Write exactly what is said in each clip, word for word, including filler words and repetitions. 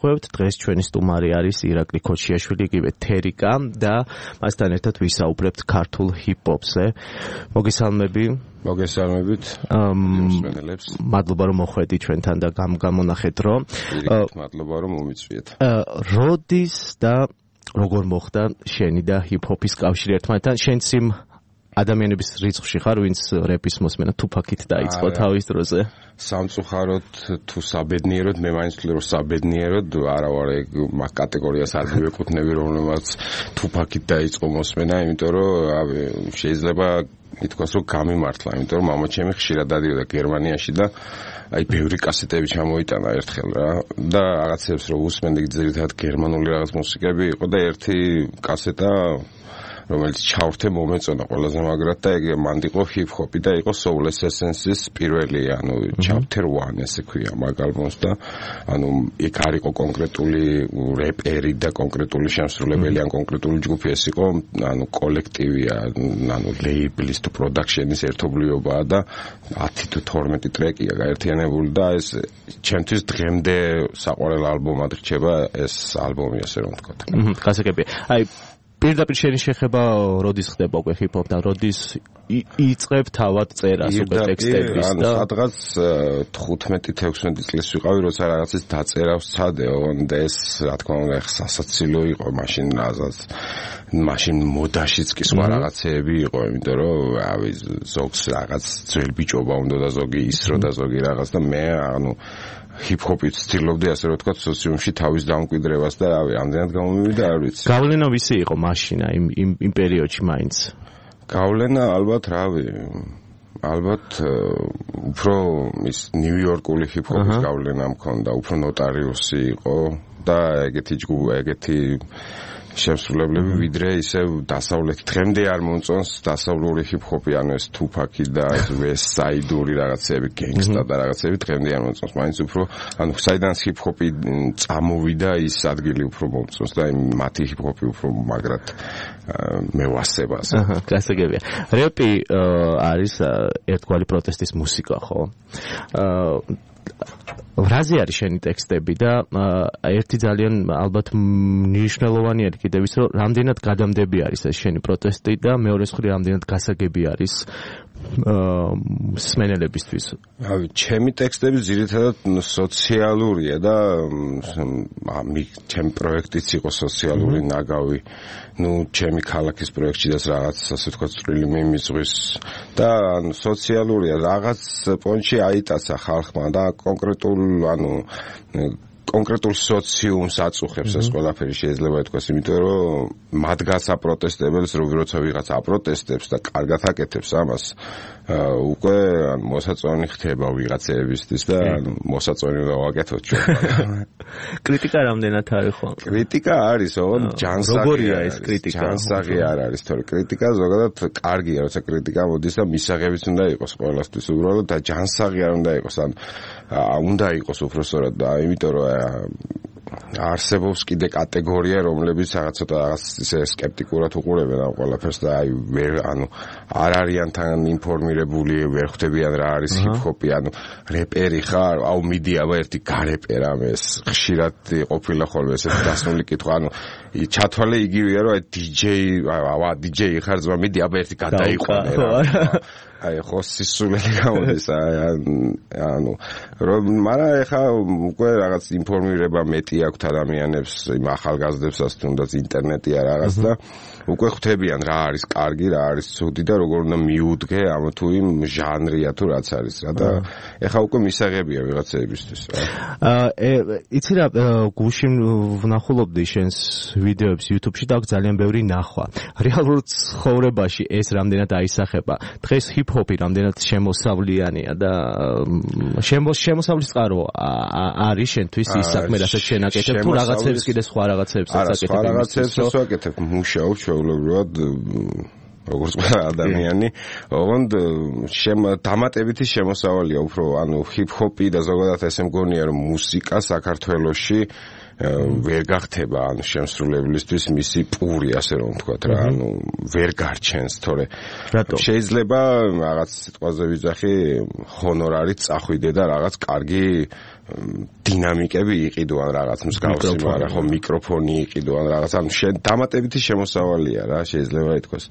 განვიხილავთ. დღეს ჩვენი სტუმარი არის ირაკლი ქოჩიაშვილი, იგივე თერიკა და მასთან ერთად ვისაუბრებთ ქართულ ჰიპ-ჰოპზე. მოგესალმები. მოგესალმებით. მადლობა რომ მოხვედი ჩვენთან და გამონახეთ რომ. მადლობა რომ მომიწვიეთ. როდის და როგორ მოხდა შენი და ჰიპ-ჰოპის კავშირი ერთმანეთთან? შენც იმ ადამიანების რიცხვში ხარ, ვინც რეპის მოსმენა თუფაკით დაიწყო თავის დროზე? სამწუხაროდ თუ საბედნიეროდ, მე მაინც ვთვლი რომ საბედნიეროდ არა ვარ ეგ მაგ კატეგორიას არ მივეკუთვნები, რომელმაც თუფაკით დაიწყო მოსმენა, იმიტომ რომ შეიძლება ითქვას რომ გამიმართლა, იმიტომ რომ მამაჩემი ხშირად დადიოდა გერმანიაში და აი ბევრი კასეტები ჩამოიტანა ერთხელ რა და რაღაცებს რომ უსმენდი ძირითადად გერმანული რაღაც მუსიკები იყო და ერთი კასეტა რომელიც ჩავრთე მომეწონა ყველაზე მაგრად და ეგ მანდ იყო ჰიპ-ჰოპი და იყო Soul Essence-ის პირველი ანუ chapter one ესე ქვია მაგ ალბომს და ანუ იქ არ იყო კონკრეტული რეპერი და კონკრეტული შემსრულებელი ან კონკრეტული ჯგუფი, ეს იყო ანუ კოლექტივია, ანუ ლეიბლის თუ პროდაქშენის ერთობლიობაა და ათი თუ თორმეტი ტრეკია გაერთიანებული და ეს ჩემთვის დღემდე საყვარელ ალბომად რჩება ეს ალბომი, ასე რომ ვთქვათ. გასაგებია. აი პირდაპირ შენი შეხება როდის ხდება უკვე ჰიპ-ჰოპთან, როდის იწყებ თავად წერას უკვე ტექსტების და სადღაც თხუთმეტი თექვსმეტი წლის ვიყავი, როცა რაღაცის დაწერა ვსცადეო და ეს რა თქმა უნდა სასაცილო იყო მაშინ რაღაცას მაშინ მოდაშიც კი სხვა რაღაცეები იყო, იმიტომ რომ რავი ზოგს რაღაც ძველ ბიჭობა უნდა და ზოგი ისრო და ზოგი რაღაც და მე ანუ ჰიპ-ჰოპით ვცდილობდი ასე რომ ვთქვათ სოციუმში თავის დამკვიდრებას და რავი ამდენად გამომივიდა არ ვიცი. გავლენა ვისი იყო მაშინა იმ იმ იმ პერიოდში მაინც? გავლენა ალბათ რავი ალბათ უფრო ის ნიუ-იორკული ჰიპ-ჰოპის გავლენა მქონდა, უფრო ნოტარიუსი იყო და ეგეთი ჯგუფი, ეგეთი შემსრულებლები ვიდრე ისევ დასავლეთი დღემდე არ მომწონს დასავლური ჰიპ-ჰოპი, ანუ ეს თუფაკი და ეს ვესტსაიდური რაღაცები, გენგსტა და რაღაცები დღემდე არ მომწონს, მაინც უფრო ანუ საიდანაც ჰიპ-ჰოპი წამოვიდა ის ადგილი უფრო მომწონს და მათი ჰიპ-ჰოპი უფრო მაგრად მევასება ასე. გასაგებია. რეპი არის ერთგვარი პროტესტის მუსიკა, ხო? რაზე არის შენი ტექსტები და ერთი ძალიან ალბათ მნიშვნელოვანი არის კიდევ ის რომ რამდენად გადამდები არის ეს შენი პროტესტი და მეორე მხრივ რამდენად გასაგები არის მსმენელებისთვის. რავი, ჩემი ტექსტები ძირითადად სოციალურია და ჩემი პროექტიც იყო სოციალური ნაგავი. ნუ ჩემი ქალაქის პროექტშიდაც რაღაც ასე ვთქვათ წვრილი მიმიწვის და სოციალურია, რაღაც პონჩი აიტაცა ხალხმა და კონკრეტულ ანუ კონკრეტულ სოციუმს აწუხებს ეს ყველაფერი შეიძლება ითქვას, იმიტომ რომ მათგანს აპროტესტებელს როცა ვიღაც აპროტესტებს და კარგად აკეთებს ამას უკვე მოსაწონი ხდება ვიღაცებისთვის და მოსაწონი უნდა ვაკეთოთ ჩვენ. კრიტიკა რამდენად არის ხო? კრიტიკა არის, ოღონდ ჯანსაღი. როგორია ეს კრიტიკა? ჯანსაღი არ არის, თორე კრიტიკა ზოგადად კარგია, როცა კრიტიკა მოდის და მისაღებიც უნდა იყოს ყველასთვის უბრალოდ და ჯანსაღი არ უნდა იყოს, ან უნდა იყოს უფრო სწორად და იმიტომ რომ არსებობს კიდე კატეგორია, რომლებიც რაღაც ცოტა რაღაც ისე სკეპტიკურად უყურებენ ამ ყველაფერს და აი ვერ ანუ არ არიან თან ინფორმირებული, ვერ ხვდებიან რა არის ჰიპ-ჰოპი, ანუ რეპერი ხარ, აუ მიდი აბა ერთი გარეპერა ეს ხშირად ყოფილა ხოლმე ესეთი დასნული კითხვა, ანუ ჩათვალე იგივეა რომ აი დიჯეი, ავა დიჯეი ხარ ძმა, მიდი აბა ერთი გადაიყვანე რა. აი ხო სისულელი გამოდის ანუ რომ მაგრამ ეხა უკვე რაღაც ინფორმირება მეტი აქვთ ადამიანებს, იმ ახალგაზრდებსაც თუნდაც ინტერნეტია რაღაც და უკვე ხვდებიან რა არის კარგი, რა არის ცუდი და როგორ უნდა მიუდგე ამ თუ იმ ჟანრია თუ რაც არის რა და ეხა უკვე მისაღებია ვიღაცებისთვის. აა იცი რა გუშინ ვნახულობდი შენს ვიდეოებს YouTube-ში და ძალიან ბევრი ნახვა. რეალურ ცხოვრებაში ეს რამდენად აისახება? დღეს ჰიპ-ჰოპი რამდენად შემოსავლიანია და შემოსავლის წყარო არის შენთვის ის საქმე, რასაც შენ აკეთებ თუ რაღაცებს კიდე სხვა რაღაცებსაც აკეთებ? არა, სხვა რაღაცებსაც ვაკეთებ, მუშაობ ჩვეულებრივად როგორც ყველა ადამიანი, ოღონდ დამატებითი შემოსავალია უფრო, ანუ ჰიპ-ჰოპი და ზოგადად ესე მგონია რომ მუსიკა საქართველოში ვერ გახდება ანუ შემსრულებლისთვის მისი პური ასე რომ ვთქვათ რა ანუ ვერ გარჩენს თორე შეიძლება რაღაც სიტყვაზე ვიძახი ჰონორარით წახვიდე და რაღაც კარგი დინამიკები იყიდო ან რაღაც მსგავსი მაგრამ ხო მიკროფონი იყიდო ან რაღაც ანუ დამატებითი შემოსავალია რა შეიძლება ითქვას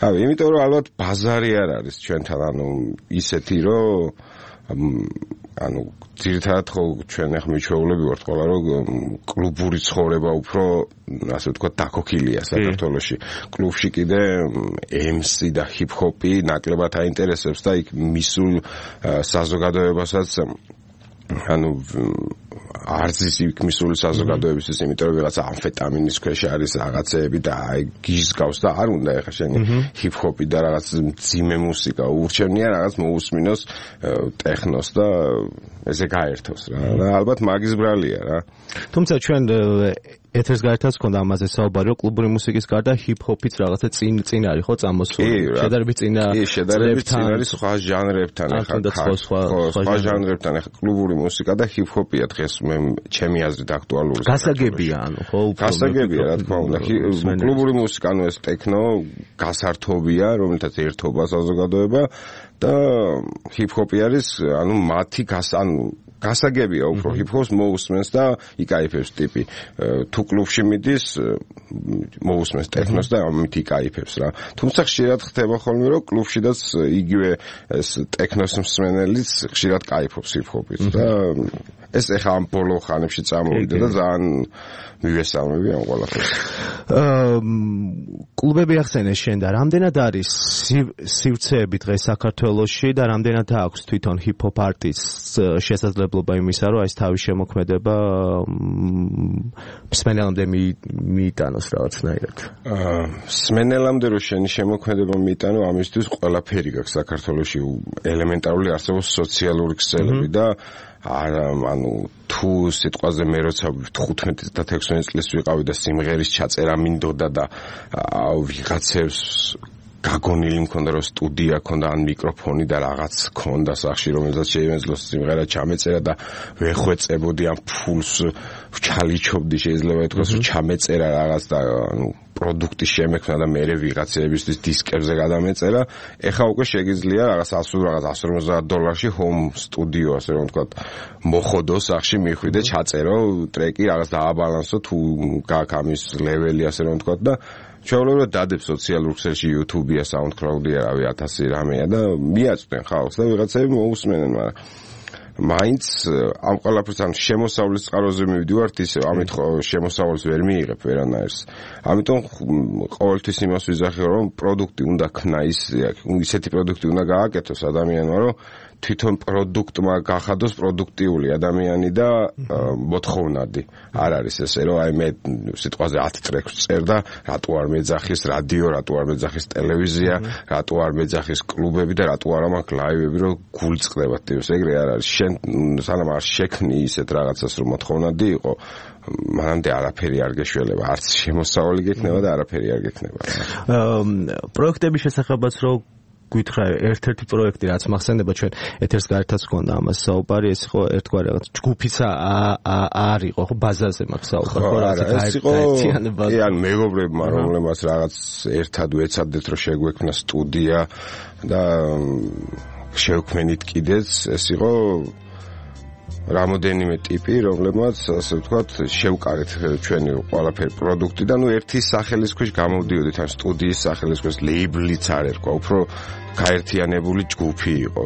აი იმიტომ რომ ალბათ ბაზარი არ არის ჩვენთან ანუ ისეთი რომ ანუ ძირითადად ხო ჩვენ ახ მიჩვეულები ვართ ყველა რომ კლუბური ცხოვრება უფრო ასე ვთქვათ დაქოქილია საქართველოში კლუბში კიდე ემსი და ჰიპ-ჰოპი ნაკლებად აინტერესებს და იქ მისულ საზოგადოებასაც ანუ არცის იქ მისული საზოგადოებისთვის იმიტომ რომ ვიღაცა ამფეტამინის ქვეშ არის რაღაცეები და აი გიზგავს და არ უნდა ეხა შენი ჰიპ-ჰოპი და რაღაც ძიმე მუსიკა ურჩევნია რაღაც მოусმინოს ტექნოს და ესე გაერთოს რა და ალბათ მაგის ბრალია რა თუმცა ჩვენ ეთერს გაერთას ქონდა ამაზე საუბარი რომ კლუბური მუსიკის გარდა ჰიპ-ჰოპიც რაღაცა წინ წინ არის ხო წამოსული შედარებით წინა კი შედარებით წინ არის სხვა ჟანრებთან ეხა სხვა ჟანრებთან ეხა კლუბური მუსიკა და ჰიპ-ჰოპია დღეს მე ჩემი აზრით აქტუალური გასაგებია ანუ ხო უფრო გასაგებია რა თქმა უნდა კლუბური მუსიკა ანუ ეს ტექნო გასართობია რომელთაც ერთობა საზოგადოება და ჰიპ-ჰოპი არის ანუ მათი გას ანუ გასაგებია უფრო ჰიპ-ჰოპს მოусმენს და იკაიფებს ტიპი თუ კლუბში მიდის მოусმენს ტექნოს და ამით იკაიფებს რა თუმცა ხშირად ხდება ხოლმე რომ კლუბშიდაც იგივე ეს ტექნოს მსმენელიც ხშირად კაიფობს ჰიპ-ჰოპით და ეს ეხა ამ ბოლო ხანებში წამოვიდა და ძალიან მივესალმები ამ ყველაფერს კლუბები ახსენე შენ და რამდენად არის სივრცეები დღეს საქართველოში და რამდენად აქვს თვითონ ჰიპ-ჰოპ არტისტს შესაძლებლობა იმისა რომ ეს თავის შემოქმედება მსმენელამდე მიიტანოს რაღაცნაირად მსმენელამდე რომ შენი შემოქმედება მიიტანო ამისთვის ყველაფერი გაქვს საქართველოში ელემენტარული არსებობს სოციალური ქსელები და არა ანუ თუ სიტყვაზე მე როცა თხუთმეტი და ექვსმეტი წლის ვიყავი და სიმღერის ჩაწერა მინდოდა და ვიღაცებს გაგონილი მქონდა რომ სტუდია ქონდა ან მიკროფონი და რაღაც ქონდა სახში რომელსაც შეიმეძლოს სიმღერა ჩამეწერა და ვეხვეწებოდი ამ ფულს ვჩალიჩობდი შეიძლება ითქვას რომ ჩამეწერა რაღაც და ანუ პროდუქტი შემექმნა და მე ვიღაცებისთვის დისკებზე გადამეწერა ეხა უკვე შეგიძლია რაღაც ასულ რაღაც εκατო ორმოცდაათ დოლარში ჰომ სტუდიო ასე რომ ვთქვათ მოხოდო სახში მიხვიდე ჩაწერო ტრეკი რაღაც დააბალანსო თუ გაქვს ამის ლეველი ასე რომ ვთქვათ და ჩვეულებრივად დადებ სოციალურ ქსელში YouTube-ია, SoundCloud-ია, რავი ათასი რამეა და მიაწვდენ ხალხს და ვიღაცები მოусმენენ, მაგრამ მაინც ამ ყველაფერს ამ შემოსავლის წყაროზე მივდივართ ისე ამით შემოსავალს ვერ მიიღებ ვერანაირს. ამიტომ ყოველთვის იმას ვიზახებ რომ პროდუქტი უნდა ქნა ისეთი პროდუქტი უნდა გააკეთოს ადამიანმა რომ თვითონ პროდუქტმა გახადოს პროდუქტიული ადამიანი და მოთხოვნადი. არ არის ესე რომ აი მე სიტყვაზე ათი ტრეკს წერ და რატო არ მეძახის რადიო, რატო არ მეძახის ტელევიზია, რატო არ მეძახის კლუბები და რატო არა მაქვს ლაივები რომ გულწდება ტიპს ეგრე არ არის. შენ სანამ არ შექმნი ისეთ რაღაცას რომ მოთხოვნადი იყო მანამდე არაფერი არ გეშველება, არც შემოსავალი გექნება და არაფერი არ გექნება. პროექტების შესახებაც რომ გითხრა ერთ-ერთი პროექტი რაც მახსენდება ჩვენ ეთერს გაერთაც გქონდა ამას საუბარი ეს იყო ერთგვარი რაღაც ჯგუფიც არ იყო ხო ბაზაზე მაქვს საუბარი ხო რაღაც ეს იყო კი ან მეგობრებმა რომლებმაც რაღაც ერთად ვეცადეთ რომ შეგვექმნა სტუდია და შევქმნით კიდეც ეს იყო რამოდენიმე ტიპი რომლებმაც ასე ვთქვათ შევკარეთ ჩვენი ყველაფერი პროდუქტი და ნუ ერთი სახელის ქვეშ გამოვდიოდით ან სტუდიის სახელის ქვეშ ლეიბლიც არ ერქვა უფრო გაერთიანებული ჯგუფი იყო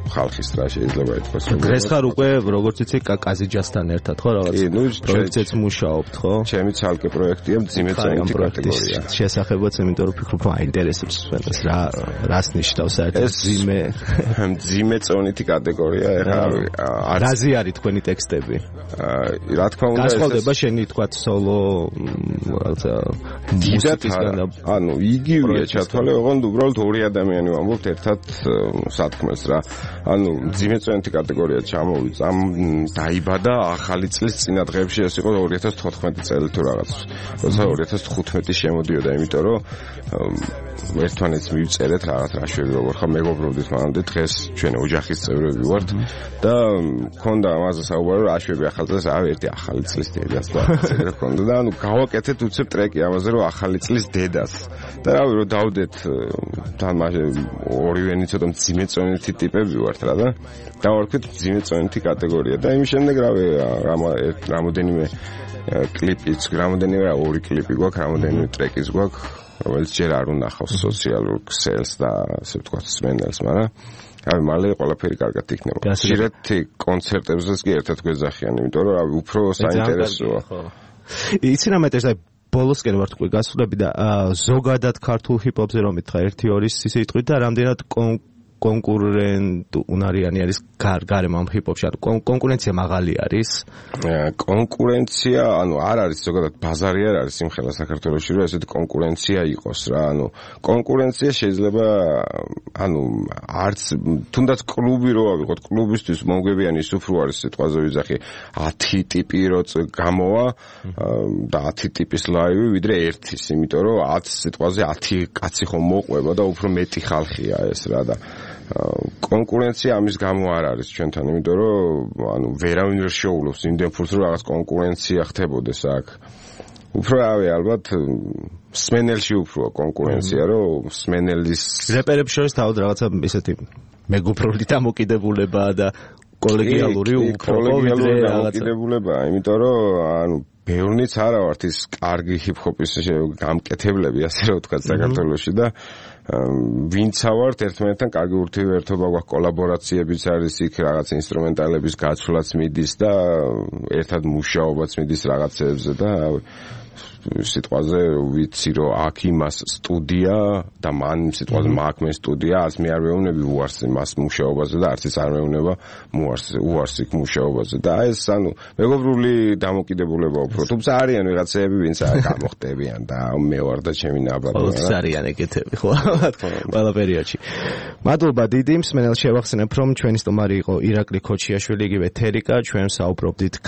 ხალხის რა შეიძლება ითქვას რომ დღეს ხარ უკვე როგორც იცი კაზიჯასთან ერთად ხო რაღაც პროექტზეც მუშაობთ ხო ჩემი ცალკე პროექტია მძიმე წონითი კატეგორია შესახებაც იმიტომ რომ ფიქრობ აინტერესებს ეს რა რას ნიშნავს საერთოდ მძიმე მძიმე წონითი კატეგორია ეხლა რაზე არის თქვენი ტექსტები რა თქმა უნდა გასხოლდება შენი თქვათ სოლო რაღაცა მუსიკისგან ანუ იგივეა ჩათვალე ოღონდ უბრალოდ ორი ადამიანი ვამბობთ ერთად სათქმელს რა ანუ მძიმე წონითი კატეგორია ჩამოვიდა ამ დაიბადა ახალი წლის წინა დღეებში ეს იყო ორი ათას თხუთმეტი წელი თუ რაღაც როცა ორი ათას თხუთმეტი შემოდიოდა იმიტომ რომ ერთმანეთს მივწერეთ რაღაც რაშვები როგორ ხა მეგობრობდით მანამდე დღეს ჩვენ ოჯახის წევრები ვართ და მქონდა მქონდა ამაზე საუბარი, რომ აშვები ახალ წელს, ავი ერთი ახალი წლის დედას და ეგრე მქონდა და ანუ გავაკეთეთ უცებ ტრეკი ამაზე, რომ ახალი წლის დედას. და რავი, რომ დავდეთ თან მასე ორივენი ცოტა მძიმეწონითი ტიპები ვართ რა და დავარქვით მძიმეწონითი კატეგორია და იმის შემდეგ რავი რამოდენიმე კლიპიც, რამოდენიმე ორი კლიპი გვაქვს, რამოდენიმე ტრეკიც გვაქვს, რომელიც ჯერ არ უნახავს სოციალურ ქსელს და ასე ვთქვათ სმენელს, მაგრამ რავი, მალე ყველაფერი კარგად იქნება. ხშირად კონცერტებზეც კი ერთად გვეძახიან, იმიტომ რომ რავი, უფრო საინტერესოა. იცი რა მეტეს და ბოლოსკენ ვარ თქვი გასულები და ზოგადად ქართულ ჰიპ-ჰოპზე რომ მითხრა ერთი ორი სიტყვით და რამდენად კონკურენტუნარიანი არის გარემო ამ ჰიპ-ჰოპში, ანუ კონკურენცია მაღალი არის? კონკურენცია, ანუ არ არის ზოგადად ბაზარი არ არის სიმღერა საქართველოში, რომ ესეთი კონკურენცია იყოს რა, ანუ კონკურენცია შეიძლება ანუ არც თუნდაც კლუბი რო ავიღოთ, კლუბისთვის მომგებიანი ის უფრო არის სიტყვაზე ვიძახი ათი ტიპი რო გამოვა და ათი ტიპის ლაივი ვიდრე ერთის, იმიტომ რომ ათი სიტყვაზე ათი კაცი ხომ მოყვება და უფრო მეტი ხალხია ეს რა და კონკურენცია ამის გამო არ არის ჩვენთან, იმიტომ რომ ანუ ვერავინ ვერ შეუძლებს იმდენ ფულს რომ რაღაც კონკურენცია ხდებოდეს აქ. უფრო რავი, ალბათ სმენელში უფრო კონკურენცია, რომ სმენელის რეპერებს შორის თავად რაღაცა ისეთი მეგობრული დამოკიდებულება და კოლეგიალური უფრო ვიდრე დამოკიდებულებაა, იმიტომ რომ ანუ ბევრნიც არა ვართ ის კარგი ჰიპ-ჰოპის გამკეთებლები, ასე რომ ვთქვათ, საქართველოში და ვინცა ვართ ერთმანეთთან კარგი ურთიერთობა გვაქვს, კოლაბორაციებიც არის იქ, რაღაც ინსტრუმენტალების გაცვლაც მიდის და ერთად მუშაობაც მიდის რაღაცეებზე და სიტყვაზე ვიცი რომ აქ იმას სტუდია და მან სიტყვაზე მაგ მე სტუდია, არც მე არ მეუბნები უარს იმას მუშაობაზე და არც ის არ მეუბნება უარს უარს იქ მუშაობაზე და ეს ანუ მეგობრული დამოკიდებულება უფრო, თუმცა არიან ვიღაცები ვინც გამოხდებიან და მე ვარ და ჩემი ნაბარი რა არიან ეგეთები ხო ყველა პერიოდში. მადლობა დიდი მსმენელს შევახსენებ რომ ჩვენი სტუმარი იყო ირაკლი ქოჩიაშვილი, იგივე თერიკა, ჩვენ საუბრობდით